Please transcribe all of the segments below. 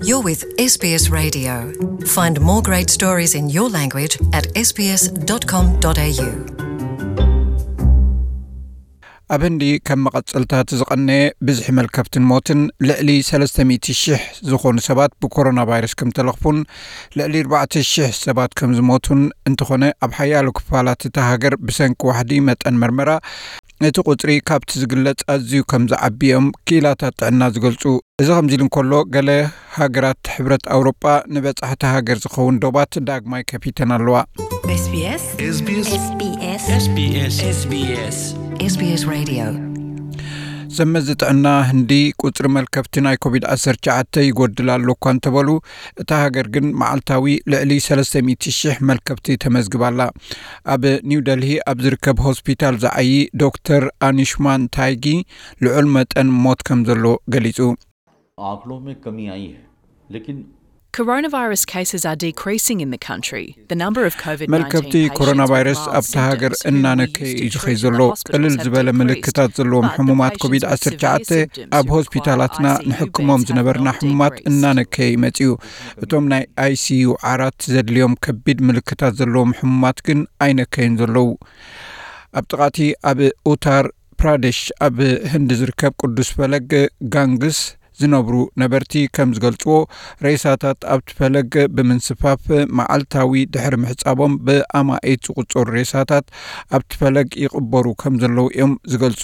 You're with S B S Radio. Find more great stories in your language at S B S dot com dot A U. ኣብ ህንዲ ከም መቐጸልታ እቲ ዝቐነየ ብዝሒ መልከፍትን ሞትን፣ ልዕሊ ሰለስተ ሚእቲ ሽሕ ዝኾኑ ሰባት ብኮሮና ቫይረስ ከም ተለኽፉን ልዕሊ ኣርባዕተ ሽሕ ሰባት ከም ዝሞቱን፣ እንተኾነ ኣብ ሓያሎ ክፋላት እታ ሃገር ብሰንኪ ዋሕዲ መጠን መርመራ እቲ ቁጽሪ ካብቲ ዝግለጽ ኣዝዩ ከም ዝዓቢ እዮም ክኢላታት ጥዕና ዝገልጹ። እዚ ከምዚ ኢሉ እንከሎ፣ ገለ ሃገራት ሕብረት ኣውሮጳ ንበጻሕቲ ሃገር ዝኸውን ዶባት ዳግማይ ከፊተን ኣለዋ። SBS SBS SBS SBS SBS Radio። ሰመዚ ጥዕና ህንዲ ቁጽሪ መልከፍቲ ናይ ኮቪድ ዓሰርተ ትሽዓተ ይጎድል ኣሎ እኳ እንተበሉ፣ እታ ሃገር ግን መዓልታዊ ልዕሊ ሰለስተ ሚእቲ ሽሕ መልከፍቲ ተመዝግባ ኣላ። ኣብ ኒው ደልሂ ኣብ ዝርከብ ሆስፒታል ዝዓዪ ዶክተር ኣኒሽማን ታይጊ ልዑል መጠን ሞት ከም ዘሎ ገሊጹ። आंकड़ों में कमी आई है, लेकिन Coronavirus cases are decreasing in the country. The number of COVID nineteen መልከፍቲ patients ኮሮና with ቫይረስ mild ኣብታ ሃገር symptoms who እናነከየ used እዩ to ዝኸይ treat in ዘሎ። the hospital ቅልል have ዝበለ decreased. ምልክታት ዘለዎም But the ሕሙማት patients ኮቪድ with ዓሰርተ ትሽዓተ severe symptoms ኣብ who ሆስፒታላትና require I C U ንሕክሞም beds have ዝነበርና not ሕሙማት decreased. እናነከየ እዩ መጺኡ። እቶም ናይ ኣይ ሲ ዩ ዓራት ዘድልዮም ከቢድ ምልክታት ዘለዎም ሕሙማት ግን ኣይነከዩን ዘለዉ። ኣብ ጥቓቲ ኣብ ኡታር ፕራደሽ ኣብ ህንዲ ዝርከብ ቅዱስ ፈለግ ጋንግስ ዝነብሩ ነበርቲ ከም ዝገልጽዎ፣ ሬሳታት ኣብቲ ፈለግ ብምንስፋፍ፣ መዓልታዊ ድሕሪ ምሕጻቦም ብኣማኢት ዝቑጸሩ ሬሳታት ኣብቲ ፈለግ ይቕበሩ ከም ዘለዉ እዮም ዝገልጹ።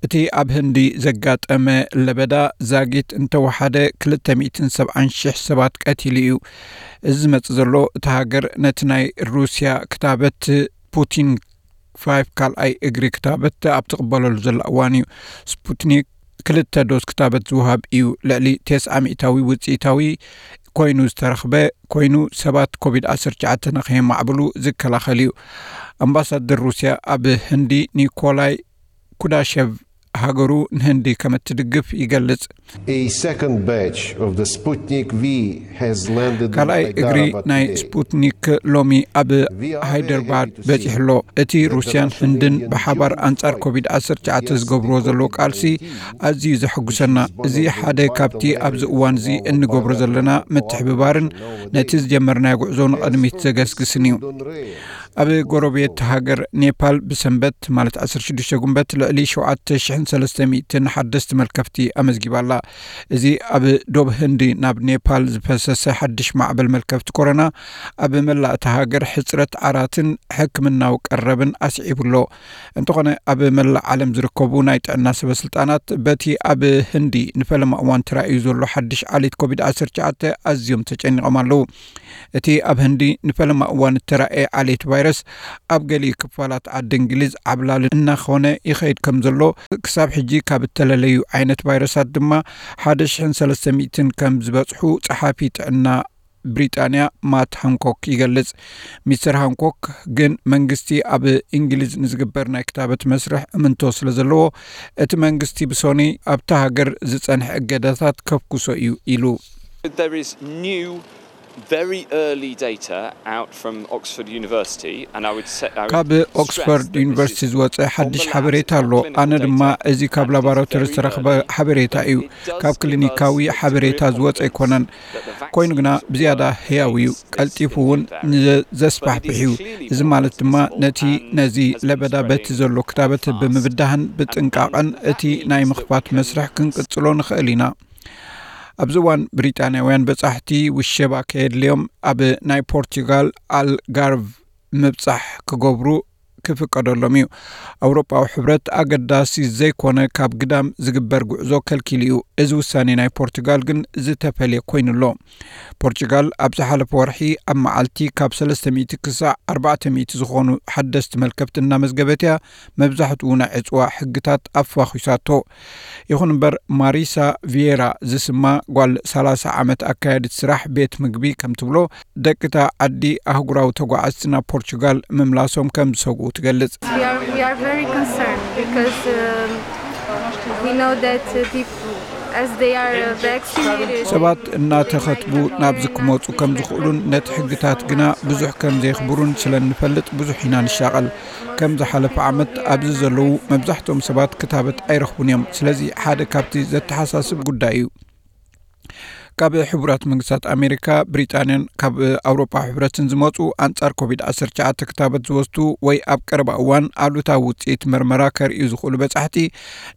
እቲ ኣብ ህንዲ ዘጋጠመ ለበዳ ዛጊት እንተወሓደ ክልተ ሚእትን ሰብዓን ሽሕ ሰባት ቀቲሉ እዩ። እዚ ዝመጽእ ዘሎ፣ እታ ሃገር ነቲ ናይ ሩስያ ክታበት ስፑቲን ፋይቭ ካልኣይ እግሪ ክታበት ኣብ ትቕበለሉ ዘላ እዋን እዩ። ስፑትኒክ ክልተ ዶዝ ክታበት ዝወሃብ እዩ። ልዕሊ ተስዓ ሚእታዊ ውጽኢታዊ ኮይኑ ዝተረኽበ ኮይኑ፣ ሰባት ኮቪድ ዓሰርተ ትሽዓተ ንኸየማዕብሉ ዝከላኸል እዩ። ኣምባሳደር ሩስያ ኣብ ህንዲ ኒኮላይ ኩዳሸቭ፣ ሃገሩ ንህንዲ ከም እትድግፍ ይገልጽ። A second batch of the Sputnik V has landed in ካልኣይ እግሪ Hyderabad ናይ today. ስፑትኒክ ሎሚ ኣብ We are very ሃይደርባድ happy to see በጺሑ ኣሎ። እቲ that the ሩስያን Russian ህንድን Indian ብሓባር June ኣንጻር fight ኮቪድ ዓሰርተ ትሽዓተ is ዝገብርዎ becoming ዘለዉ ቃልሲ indeed ኣዝዩ ዘሐጉሰና። እዚ ሓደ ካብቲ ኣብዚ እዋን እዚ እንገብሮ ዘለና ምትሕብባርን ነቲ ዝጀመርናዮ ጉዕዞ ንቕድሚት ዘገስግስን እዩ። ኣብ ጎረቤት ሃገር ኔፓል ብሰንበት ማለት ዓሰርተ ሽዱሽተ ጉንበት ልዕሊ ሸውዓተ ሽሕን ሰለስተ ሚእትን ሓደስቲ መልከፍቲ ኣመዝጊባ ኣላ። እዚ ኣብ ዶብ ህንዲ ናብ ኔፓል ዝፈሰሰ ሓድሽ ማዕበል መልከፍቲ ኮሮና ኣብ መላእ እታ ሃገር ሕጽረት ዓራትን ሕክምናዊ ቀረብን ኣስዒቡ ኣሎ። እንተኾነ፣ ኣብ መላእ ዓለም ዝርከቡ ናይ ጥዕና ሰበስልጣናት በቲ ኣብ ህንዲ ንፈለማ እዋን ተራእዩ ዘሎ ሓድሽ ዓሌት ኮቪድ ዓሰርተ ትሽዓተ ኣዝዮም ተጨኒቖም ኣለዉ። እቲ ኣብ ህንዲ ንፈለማ እዋን እተራእየ ዓሌት ቫይረስ ኣብ ገሊኡ ክፋላት ዓዲ እንግሊዝ ዓብላሊ እናኾነ ይኸይድ ከም ዘሎ፣ ክሳብ ሕጂ ካብ እተለለዩ ዓይነት ቫይረሳት ድማ ሓደ ሽሕን ሰለስተ ሚእትን ከም ዝበጽሑ ጸሓፊ ጥዕና ብሪጣንያ ማት ሃንኮክ ይገልጽ። ሚስተር ሃንኮክ ግን መንግስቲ ኣብ እንግሊዝ ንዝግበር ናይ ክታበት መስርሕ እምንቶ ስለ ዘለዎ፣ እቲ መንግስቲ ብሶኒ ኣብታ ሃገር ዝጸንሐ እገዳታት ከፍኩሶ እዩ ኢሉ። There is new, very early data out from Oxford University, and I would say, I would ካብ stress ኦክስፎርድ that this ዩኒቨርሲቲ is ዝወጸ ሓድሽ ሓበሬታ ኣሎ። ኣነ ድማ እዚ ካብ ላቦራቶሪ ዝተረኽበ ሓበሬታ እዩ። ካብ ክሊኒካዊ ሓበሬታ ዝወጸ ኣይኮነን። ኮይኑ ግና ብዝያዳ ህያው እዩ። ቀልጢፉ እውን ንዘስፋሕፍሕ እዩ። እዚ ማለት ድማ ነቲ ነዚ ለበዳ በቲ ዘሎ ክታበት ብምብዳህን ብጥንቃቐን እቲ ናይ ምኽፋት መስርሕ ክንቅጽሎ ንኽእል ኢና። ኣብዚ እዋን ብሪጣንያውያን በጻሕቲ ውሸባ ከየድልዮም ኣብ ናይ ፖርቱጋል ኣልጋርቭ ምብጻሕ ክገብሩ ክፍቀደሎም እዩ። ኣውሮጳዊ ሕብረት ኣገዳሲ ዘይኮነ ካብ ግዳም ዝግበር ጉዕዞ ከልኪሉ እዩ። እዚ ውሳኔ ናይ ፖርቱጋል ግን ዝተፈልየ ኮይኑ ኣሎ። ፖርቱጋል ኣብ ዝሓለፈ ወርሒ ኣብ መዓልቲ ካብ ሰለስተ ሚእቲ ክሳዕ ኣርባዕተ ሚእቲ ዝኾኑ ሓደስቲ መልከፍቲ እናመዝገበት እያ። መብዛሕትኡ ናይ ዕጽዋ ሕግታት ኣፋኺሳቶ። ይኹን እምበር፣ ማሪሳ ቪየራ ዝስማ ጓል ሰላሳ ዓመት ኣካያዲት ስራሕ ቤት ምግቢ ከም ትብሎ፣ ደቂታ ዓዲ ኣህጉራዊ ተጓዓዝቲ ናብ ፖርቹጋል ምምላሶም ከም ዝሰግኡ ትገልጽ። We are, we are very concerned because um, we know that uh, people, as they are uh, vaccinated, ሰባት እናተኸትቡ ናብዚ ክመጹ ከም ዝኽእሉን ነቲ ሕግታት ግና ብዙሕ ከም ዘየኽብሩን ስለ እንፈልጥ ብዙሕ ኢና ንሻቐል። ከም ዝሓለፈ ዓመት ኣብዚ ዘለዉ መብዛሕትኦም ሰባት ክታበት ኣይረኽቡን እዮም። ስለዚ ሓደ ካብቲ ዘተሓሳስብ ጉዳይ እዩ። ካብ ሕቡራት መንግስታት ኣሜሪካ፣ ብሪጣንያን ካብ ኣውሮፓ ሕብረትን ዝመፁ ኣንጻር ኮቪድ ዓሰርተ ትሽዓተ ክታበት ዝወስዱ ወይ ኣብ ቀረባ እዋን ኣሉታዊ ውፅኢት መርመራ ከርእዩ ዝኽእሉ በጻሕቲ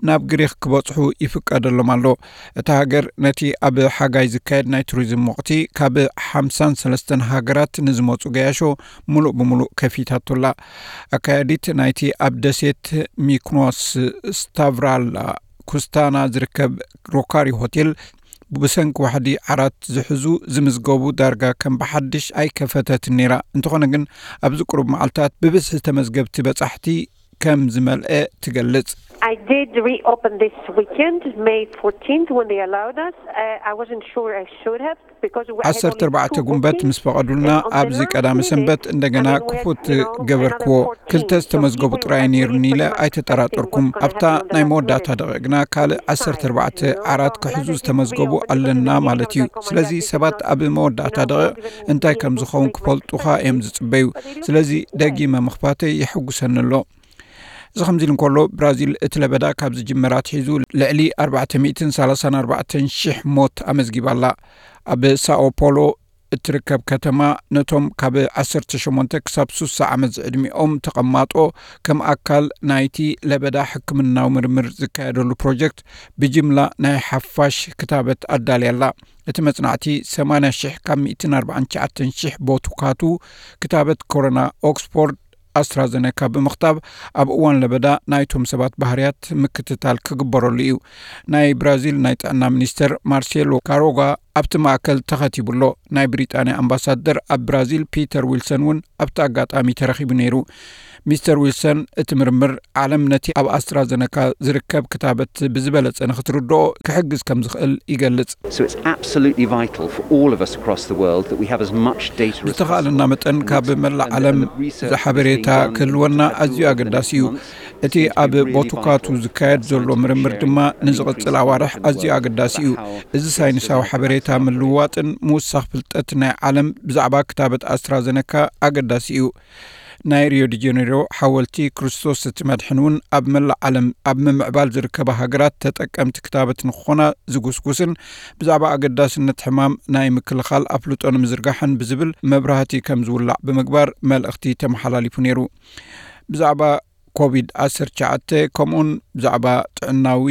ናብ ግሪክ ክበጽሑ ይፍቀደሎም ኣሎ። እታ ሃገር ነቲ ኣብ ሓጋይ ዝካየድ ናይ ቱሪዝም ወቕቲ ካብ ሓምሳን ሰለስተን ሃገራት ንዝመፁ ገያሾ ሙሉእ ብሙሉእ ከፊታቱላ። ኣካያዲት ናይቲ ኣብ ደሴት ሚክኖስ ስታቭራላ ኩስታና ዝርከብ ሮካሪ ሆቴል፣ ብሰንኪ ዋሕዲ ዓራት ዝሕዙ ዝምዝገቡ ዳርጋ ከም ብሓድሽ ኣይከፈተትን ነይራ። እንተኾነ ግን ኣብዚ ቁሩብ መዓልታት ብብዝሒ ተመዝገብቲ በጻሕቲ ከም ዝመልአ ትገልጽ። I did reopen this weekend, May fourteenth, when they allowed us. Uh, I wasn't sure I should have because we had ዓሰርተ only ኣርባዕተ two ጉንበት bookings. ምስ ፈቐዱልና And on the ኣብዚ last ቀዳሚ minute, ሰንበት እንደገና I mean, we had, ክፉት you know, ገበርክዎ። another fourteen. ክልተ So ዝተመዝገቡ people ጥራይ are ነይሩኒ really ኢለ quite ኣይተጠራጠርኩም። expecting what's gonna ኣብታ happen on the ናይ last መወዳእታ minute. ደቂቕና ካልእ ዓሰርተ ኣርባዕተ ዓራት ክሕዙ ዝተመዝገቡ ኣለና ማለት እዩ። ስለዚ ሰባት ኣብ መወዳእታ ደቂቕ እንታይ ከም ዝኸውን ክፈልጡኻ እዮም ዝጽበዩ። ስለዚ ደጊመ ምኽፋተይ የሐጉሰኒ ኣሎ። እዚ ከምዚ ኢሉ እንከሎ፣ ብራዚል እቲ ለበዳ ካብ ዝጅመር ኣትሒዙ ልዕሊ ኣርባዕተ ሚእትን ሰላሳን ኣርባዕተን ሽሕ ሞት ኣመዝጊባ ኣላ። ኣብ ሳኦ ፖሎ እትርከብ ከተማ ነቶም ካብ ዓሰርተ ሸሞንተ ክሳብ ስሳ ዓመት ዝዕድሚኦም ተቐማጦ ከም ኣካል ናይቲ ለበዳ ሕክምናዊ ምርምር ዝካየደሉ ፕሮጀክት ብጅምላ ናይ ሓፋሽ ክታበት ኣዳልያ ኣላ። እቲ መጽናዕቲ ሰማንያ ሽሕ ካብ ሚእትን ኣርባዓን ትሽዓተን ሽሕ ቦቱካቱ ክታበት ኮሮና ኦክስፎርድ ኣስትራዘነካ ብምኽታብ ኣብ እዋን ለበዳ ናይቶም ሰባት ባህርያት ምክትታል ክግበረሉ እዩ። ናይ ብራዚል ናይ ጥዕና ሚኒስተር ማርሴሎ ካሮጋ ኣብቲ ማእከል ተኸቲቡ ኣሎ። ናይ ብሪጣንያ ኣምባሳደር ኣብ ብራዚል ፒተር ዊልሰን እውን ኣብቲ ኣጋጣሚ ተረኺቡ ነይሩ። ሚስተር ዊልሰን እቲ ምርምር ዓለም ነቲ ኣብ ኣስትራዘነካ ዝርከብ ክታበት ብዝበለጸ ንክትርድኦ ክሕግዝ ከም ዝኽእል ይገልጽ። So it's absolutely vital for all of us across the world that we have as much data as ብዝተኻእለና possible. መጠን ካብ መላእ ዓለም ዝሓበሬታ ክህልወና ኣዝዩ ኣገዳሲ እዩ። እቲ ኣብ ቦቱካቱ ዝካየድ ዘሎ ምርምር ድማ ንዝቕጽል ኣዋርሕ ኣዝዩ ኣገዳሲ እዩ። እዚ ሳይንሳዊ ሓበሬታ ምልውዋጥን ምውሳኽ ፍልጠት ናይ ዓለም ብዛዕባ ክታበት ኣስትራዘነካ ኣገዳሲ እዩ። ናይ ሪዮ ዲ ጀኔሮ ሓወልቲ ክርስቶስ እቲ መድሕን እውን ኣብ መላእ ዓለም ኣብ ምምዕባል ዝርከባ ሃገራት ተጠቀምቲ ክታበት ንክኾና ዝጉስጉስን ብዛዕባ ኣገዳስነት ሕማም ናይ ምክልኻል ኣፍልጦ ንምዝርጋሕን ብዝብል መብራህቲ ከም ዝውላዕ ብምግባር መልእኽቲ ተመሓላሊፉ ነይሩ። ብዛዕባ ኮቪድ ዓሰርተ ትሽዓተ ከምኡውን ብዛዕባ ጥዕናዊ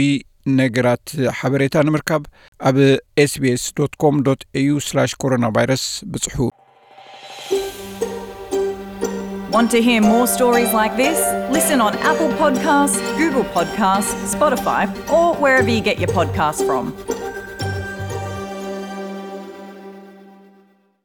ነገራት ሓበሬታ ንምርካብ ኣብ ኤስቢኤስ ዶት ኮም ዶት ኤዩ ስላሽ ኮሮና ቫይረስ ብጽሑ። Want to hear more stories like this? Listen on Apple Podcasts, Google Podcasts, Spotify, or wherever you get your podcasts from.